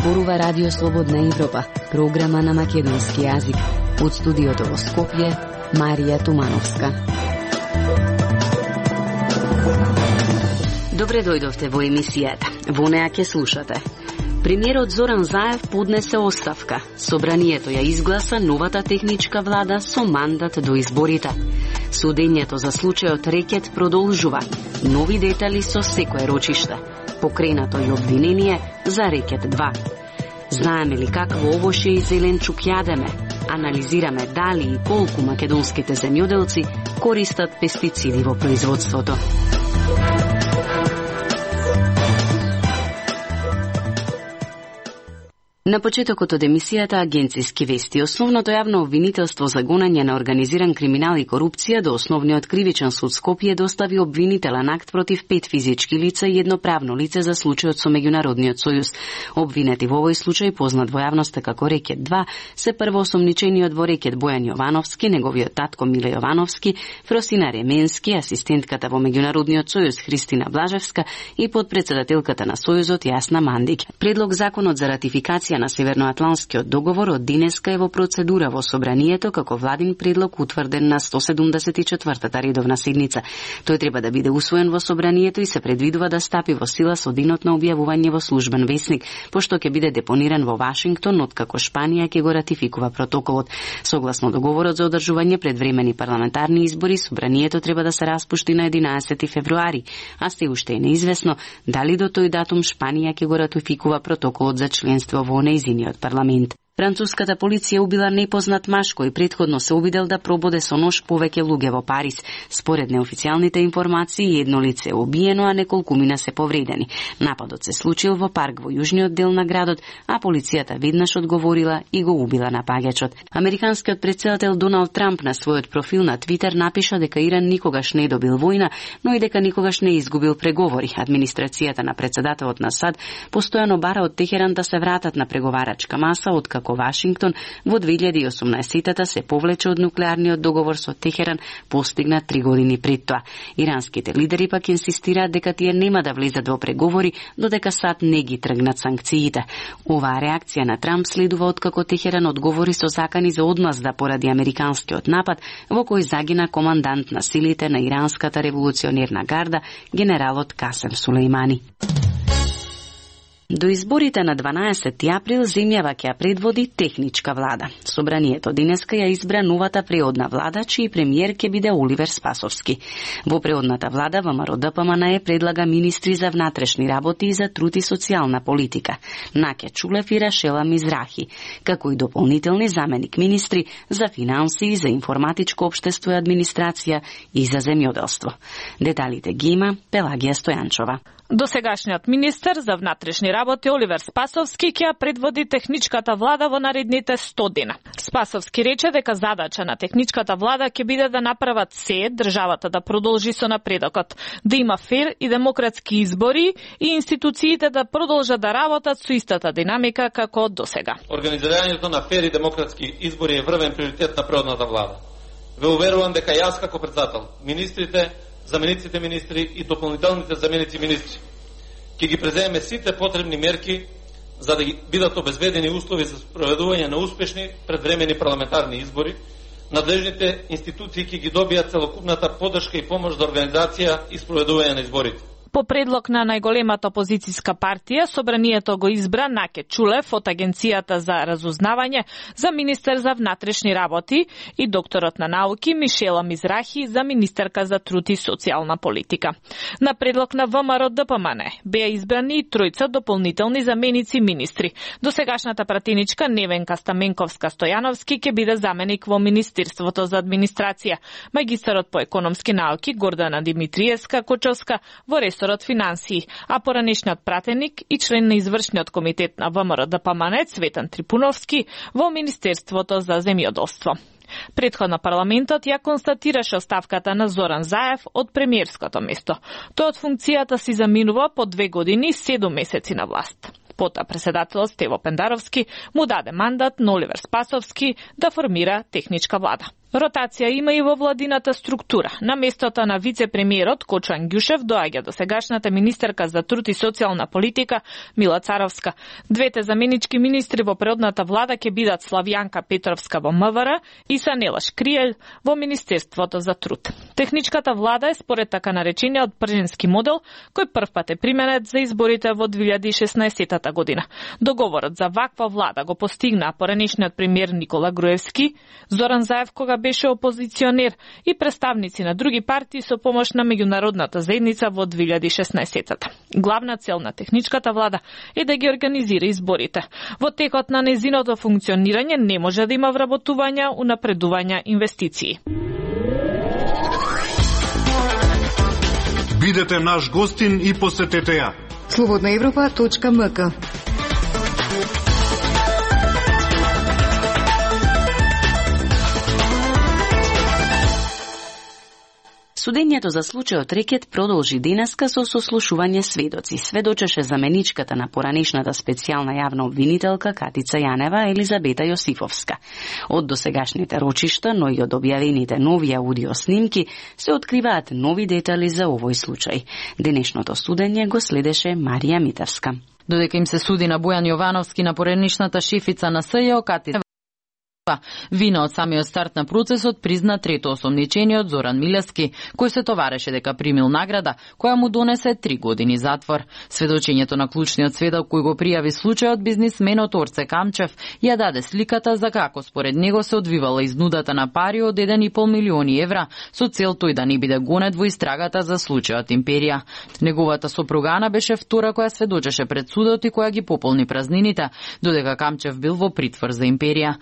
зборува Радио Слободна Европа, програма на македонски јазик. Од студиото во Скопје, Марија Тумановска. Добре дојдовте во емисијата. Во неа ќе слушате. Премиерот Зоран Заев поднесе оставка. Собранието ја изгласа новата техничка влада со мандат до изборите. Судењето за случајот Рекет продолжува. Нови детали со секое рочиште. Покренато и обвинение за Рекет 2. Знаеме ли какво овошје и зеленчук јадеме? Анализираме дали и колку македонските земјоделци користат пестициди во производството. На почетокот од емисијата Агенцијски вести, основното јавно обвинителство за гонење на организиран криминал и корупција до основниот кривичен суд Скопје достави обвинителен акт против 5 физички лица и едно правно лице за случајот со Меѓународниот сојуз. Обвинети во овој случај, познат во јавноста како Рекет 2, се првоосомничениот во Рекет Бојан Јовановски, неговиот татко Миле Јовановски, Фросина Ременски, асистентката во Меѓународниот сојуз Христина Блажевска и подпредседателката на сојузот Јасна Мандик. Предлог законот за ратификација на Северноатланскиот договор од денеска е во процедура во собранието како владин предлог утврден на 174-та редовна седница. Тој треба да биде усвоен во собранието и се предвидува да стапи во сила со денот на објавување во службен весник, пошто ќе биде депониран во Вашингтон откако Шпанија ќе го ратификува протоколот. Согласно договорот за одржување предвремени парламентарни избори, собранието треба да се распушти на 11 февруари, а се уште е неизвестно дали до тој датум Шпанија ќе го ратификува протоколот за членство во нејзиниот парламент. Француската полиција убила непознат маж кој претходно се обидел да прободе со нож повеќе луѓе во Париз. Според неофицијалните информации, едно лице е убиено, а неколкумина се повредени. Нападот се случил во парк во јужниот дел на градот, а полицијата веднаш одговорила и го убила напаѓачот. Американскиот претседател Доналд Трамп на својот профил на Твитер напиша дека Иран никогаш не добил војна, но и дека никогаш не изгубил преговори. Администрацијата на претседателот на САД постојано бара од Техеран да се вратат на преговарачка маса, откако Вашингтон во 2018-та се повлече од нуклеарниот договор со Техеран постигнат 3 години пред тоа. Иранските лидери пак инсистираат дека тие нема да влезат во преговори додека САД не ги тргнат санкциите. Оваа реакција на Трамп следува откако Техеран одговори со закани за одмазда поради американскиот напад во кој загина командант на силите на иранската револуционерна гарда генералот Касем Сулејмани. До изборите на 12 април земјава ќе ја предводи техничка влада. Собранието денеска ја избра новата преодна влада, чиј премиер ќе биде Оливер Спасовски. Во преодната влада ВМРО ДПМН предлага министри за внатрешни работи и за труд и социјална политика, Наке Чулев и Рашела Мизрахи, како и дополнителни заменик министри за финанси, за информатичко општество и администрација и за земјоделство. Деталите ги има Пелагија Стојанчова. Досегашниот министер за внатрешни работи Оливер Спасовски ќе предводи техничката влада во наредните 100 дена. Спасовски рече дека задача на техничката влада ќе биде да направат се државата да продолжи со напредокот, да има фер и демократски избори и институциите да продолжат да работат со истата динамика како досега. Организирањето на фер и демократски избори е врвен приоритет на преодната влада. Ве уверувам дека јас како председател, министрите, замениците министри и дополнителните заменици министри ќе ги преземеме сите потребни мерки за да бидат обезбедени услови за спроведување на успешни предвремени парламентарни избори. Надлежните институции ќе ги добијат целокупната поддршка и помош за организација и спроведување на изборите. По предлог на најголемата опозицијска партија, собранието го избра Наке Чулев од Агенцијата за разузнавање за министер за внатрешни работи и докторот на науки Мишела Мизрахи за министерка за труд и социјална политика. На предлог на ВМРО ДПМН беа избрани и тројца дополнителни заменици министри. Досегашната пратеничка Невенка Стаменковска Стојановски ќе биде заменик во Министерството за администрација, магистарот по економски науки Гордана Димитриевска Кочовска во ресорот финансии, а поранешниот пратеник и член на извршниот комитет на ВМРО ДПМН Цветан Трипуновски во Министерството за земјоделство. Претходно парламентот ја констатираше оставката на Зоран Заев од премиерското место. Тој од функцијата си заминува по 2 години и 7 месеци на власт. Потоа председателот Стево Пендаровски му даде мандат на Оливер Спасовски да формира техничка влада. Ротација има и во владината структура. На местото на вице-премиерот Кочо Ангјушев доаѓа до сегашната министерка за труд и социјална политика Мила Царовска. Двете заменички министри во предната влада ќе бидат Славјанка Петровска во МВР и Санела Шкриел во Министерството за труд. Техничката влада е според така наречениот пржински модел, кој првпат е применет за изборите во 2016 година. Договорот за ваква влада го постигна поранешниот премиер Никола Груевски, Зоран Заев кога беше опозиционер и представници на други партии со помош на меѓународната заедница во 2016-та. Главна цел на техничката влада е да ги организира изборите. Во текот на незиното функционирање не може да има вработувања, унапредувања, инвестиции. Бидете наш гостин и посетете ја. Slobodnaevropa.mk. Судењето за случајот Рекет продолжи денеска со сослушување сведоци. Сведочеше заменичката на поранешната специјална јавна обвинителка Катица Јанева Елизабета Јосифовска. Од досегашните рочишта, но и од објавените нови аудио снимки, се откриваат нови детали за овој случај. Денешното судење го следеше Марија Митевска. Додека им се суди на Бојан Јовановски на поранешната шефица на СЈО Катица вина од самиот старт на процесот призна трето осомничениот Зоран Милевски, кој се товареше дека примил награда, која му донесе 3 години затвор. Сведочењето на клучниот сведок кој го пријави случајот, бизнисменот Орце Камчев, ја даде сликата за како според него се одвивала изнудата на пари од 1,5 милиони евра, со цел тој да не биде гонет во истрагата за случајот Империја. Неговата сопруга Ана беше втора која сведочеше пред судот и која ги пополни празнините, додека Камчев бил во притвор за Империја.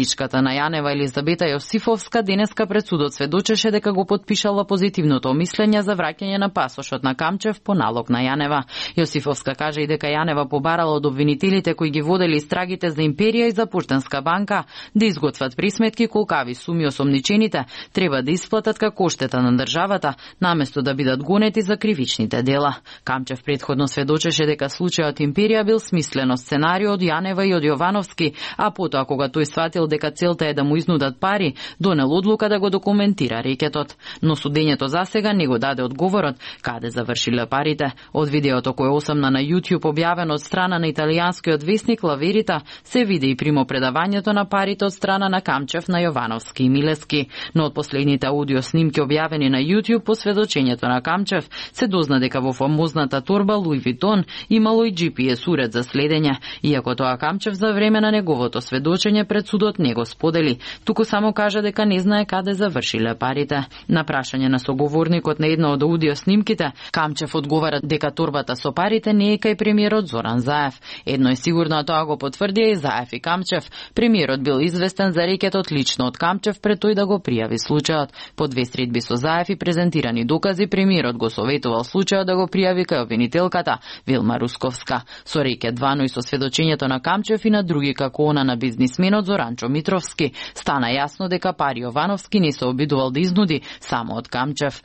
Заменичката на Јанева Елизабета Јосифовска денеска пред судот сведочеше дека го потпишала позитивното мислење за враќање на пасошот на Камчев по налог на Јанева. Јосифовска кажа и дека Јанева побарала од обвинителите кои ги водели истрагите за Империја и за Поштенска банка да изготват присметки колкави суми осомничените треба да исплатат како оштета на државата, наместо да бидат гонети за кривичните дела. Камчев претходно сведочеше дека случајот Империја бил смислено сценарио од Јанева и од Јовановски, а потоа кога тој сватил дека целта е да му изнудат пари, донел одлука да го документира рекетот. Но судењето засега не го даде одговорот каде завршиле парите. Од видеото кое осамна на YouTube објавено од страна на италијанскиот весник La Verità се види и примопредавањето на парите од страна на Камчев на Јовановски и Милевски. Но од последните аудио снимки објавени на YouTube по сведочењето на Камчев се дозна дека во фамозната торба Louis Vuitton имало и GPS уред за следење, иако тоа Камчев за време на неговото сведочење пред судот не го сподели, туку само кажа дека не знае каде завршиле парите. На прашање на соговорникот на една од аудио снимките, Камчев одговара дека торбата со парите не е кај премиерот Зоран Заев. Едно е сигурно, а тоа го потврдија и Заев и Камчев. Премиерот бил известен за рекетот лично од Камчев пред тој да го пријави случајот. По 2 средби со Заев и презентирани докази, премиерот го советувал случајот да го пријави кај обвинителката Вилма Русковска. Со рекет 2, но и со сведочењето на Камчев и на други како она на бизнисменот Зоранчо Митровски, стана јасно дека пари Јовановски не се обидувал да изнуди само од Камчев.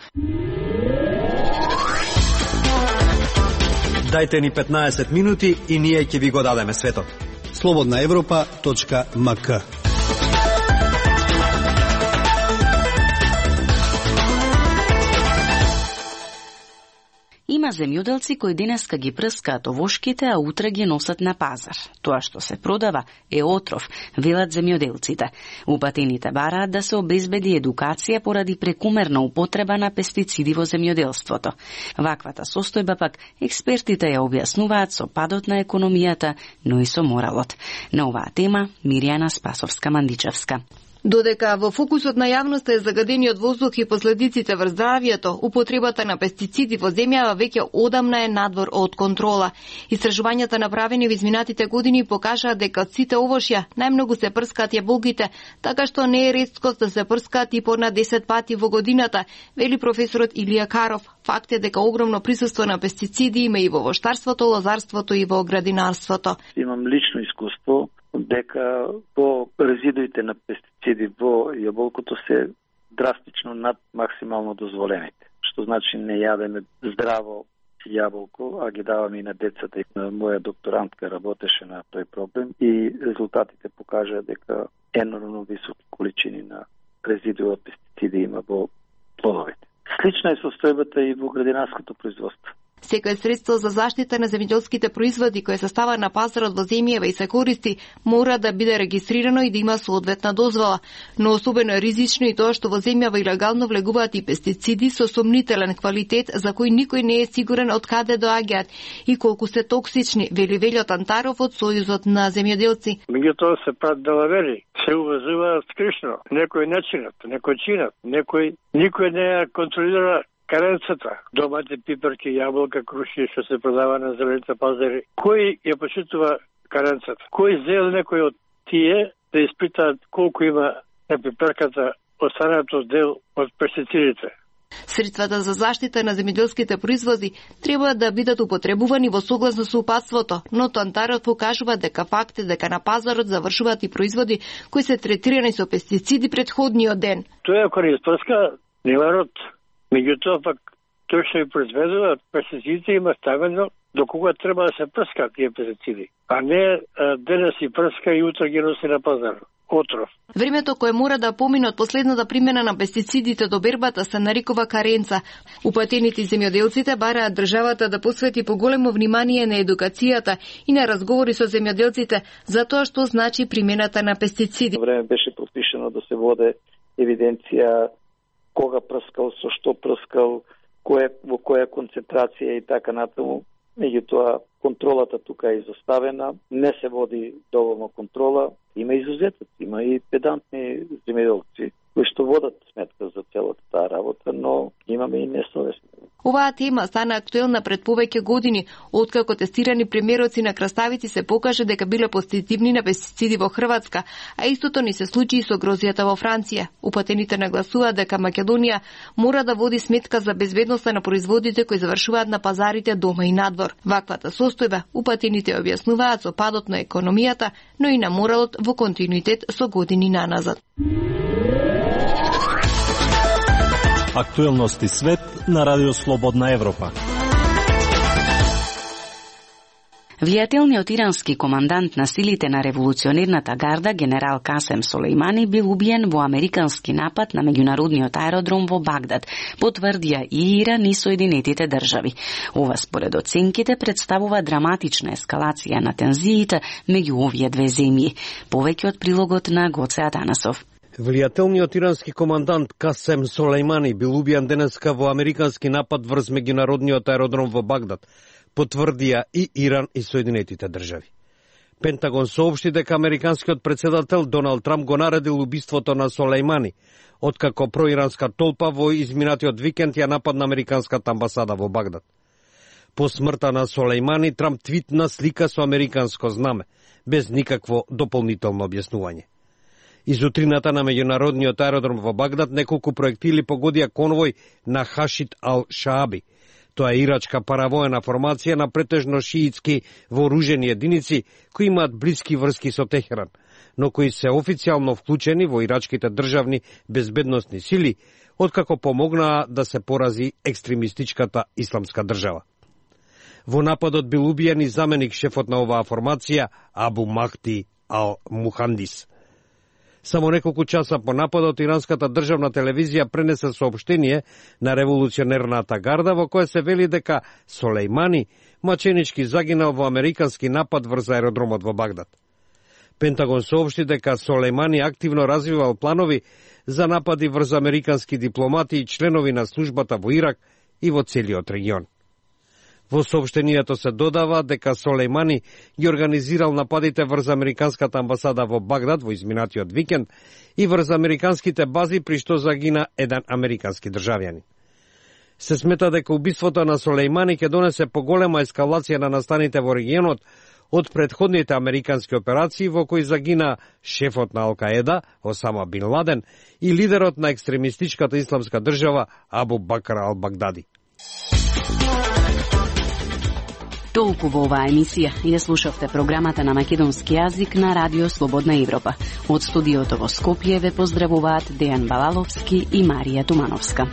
Дајте ни 15 минути и ние ќе ви го дадеме светот. Slobodnaevropa.mk. Има земјоделци кои денеска ги прскаат овошките, а утре ги носат на пазар. Тоа што се продава е отров, велат земјоделците. Упатените бараат да се обезбеди едукација поради прекумерна употреба на пестициди во земјоделството. Ваквата состојба пак експертите ја објаснуваат со падот на економијата, но и со моралот. На оваа тема Миријана Спасовска-Мандичевска. Додека во фокусот на јавноста е загадениот воздух и последиците врз здравјето, употребата на пестициди во земјава веќе одамна е надвор од контрола. Истражувањата направени во изминатите години покажаа дека од сите овошја најмногу се прскаат јаболките, така што не е реткост да се прскаат и по над 10 пати во годината, вели професорот Илија Каров. Факт е дека огромно присуство на пестициди има и во воштарството, лозарството и во градинарството. Имам лично искуство дека по резидуите на пестициди во јаболкото се драстично над максимално дозволените. Што значи не јадеме здраво јаболко, а ги даваме и на децата. Моја докторантка работеше на тој проблем и резултатите покажаа дека енормно високи количини на резидуи од пестициди има во плодовите. Слична е состојбата и во градинарското производство. Секој средство за заштита на земјоделските производи кое се става на пазарот во земјава и се користи, мора да биде регистрирано и да има соодветна дозвола. Но особено е ризично и тоа што во земјава илегално влегуваат и пестициди со сомнителен квалитет за кои никој не е сигурен од каде доаѓаат и колку се токсични, вели Велјо Тантаров од Сојузот на земјоделци. Меѓутоа се прават далавери, се увазуваат скришно, некој не чинат, некој чинат, никој не ја контролира каренцата, домати, пиперки, јаболка, круши што се продава на зелените пазари. Кој ја почитува каренцата? Кој зел некој од тие да испитаат колку има на пиперката останато дел од пестицидите? Средствата за заштита на земјоделските производи треба да бидат употребувани во согласно со упатството, но Тантаров покажува дека факт е дека на пазарот завршуваат и производи кои се третирани со пестициди претходниот ден. Тоа ако не испрска, нема род. Меѓутоа пак тој што ја произведува пестицидите има ставено до кога треба да се прскат тие пестициди, а не денес си прска и утре ги носи на пазар. Отров. Времето кое мора да помине од последната примена на пестицидите до бербата се нарекува каренца. Упатените земјоделците бараат државата да посвети поголемо внимание на едукацијата и на разговори со земјоделците за тоа што значи примената на пестициди. Време беше пропишено да се воде евиденција кога прскал, со што прскал, во која концентрација и така натаму. Меѓутоа, контролата тука е изоставена, не се води доволно контрола, има изузетоци, има и педантни земјоделци кои што водат сметка за целата таа работа, но имаме и несовесни. Оваа тема стана актуелна пред повеќе години, откако тестирани примероци на краставици се покаже дека биле позитивни на пестициди во Хрватска, а истото ни се случи и со грозијата во Франција. Упатените нагласуваат дека Македонија мора да води сметка за безбедноста на производите кои завршуваат на пазарите дома и надвор. Ваквата состојба упатените објаснуваат со падот на економијата, но и на моралот во континуитет со години наназад. Актуелности свет на Радио Слободна Европа. Влијателниот ирански командант на силите на револуционерната гарда генерал Касем Солејмани бил убиен во американски напад на меѓународниот аеродром во Багдад, потврдија и Иран и Соединетите држави. Ова според оценките представува драматична ескалација на тензиите меѓу овие две земји. Повеќе од прилогот на Гоце Атанасов. Влијателниот ирански командант Касем Солејмани бил убиен денеска во американски напад врз меѓународниот аеродром во Багдад, потврдија и Иран и Соединетите држави. Пентагон соопшти дека американскиот председател Доналд Трамп го наредил убиството на Солејмани, откако проиранска толпа во изминатиот викенд ја нападна американската амбасада во Багдад. По смртта на Солејмани, Трамп твитна слика со американско знаме, без никакво дополнително објаснување. Изутрината на меѓународниот аеродром во Багдад неколку проектили погодија конвој на Хашид ал-Шааби. Тоа е ирачка паравоена формација на претежно шиитски вооружени единици кои имаат блиски врски со Техеран, но кои се официјално вклучени во ирачките државни безбедносни сили, откако помогнаа да се порази екстремистичката исламска држава. Во нападот бил убиен и заменик шефот на оваа формација Абу Махди ал-Мухандис. Само неколку часа по нападот, иранската државна телевизија пренесе соопштение на револуционерната гарда во кое се вели дека Солејмани маченички загинал во американски напад врз аеродромот во Багдад. Пентагон соопшти дека Солејмани активно развивал планови за напади врз американски дипломати и членови на службата во Ирак и во целиот регион. Во соопштението се додава дека Солејмани ги организирал нападите врз американската амбасада во Багдад во изминатиот викенд и врз американските бази при што загина еден американски државјанин. Се смета дека убиството на Солејмани ќе донесе поголема ескалација на настаните во регионот од претходните американски операции во кои загина шефот на Ал-Каеда, Осама бин Ладен, и лидерот на екстремистичката исламска држава Абу Бакр ал-Багдади. Толку во оваа емисија. Ја слушавте програмата на македонски јазик на Радио Слободна Европа. Од студиото во Скопје ве поздравуваат Дејан Балаловски и Марија Тумановска.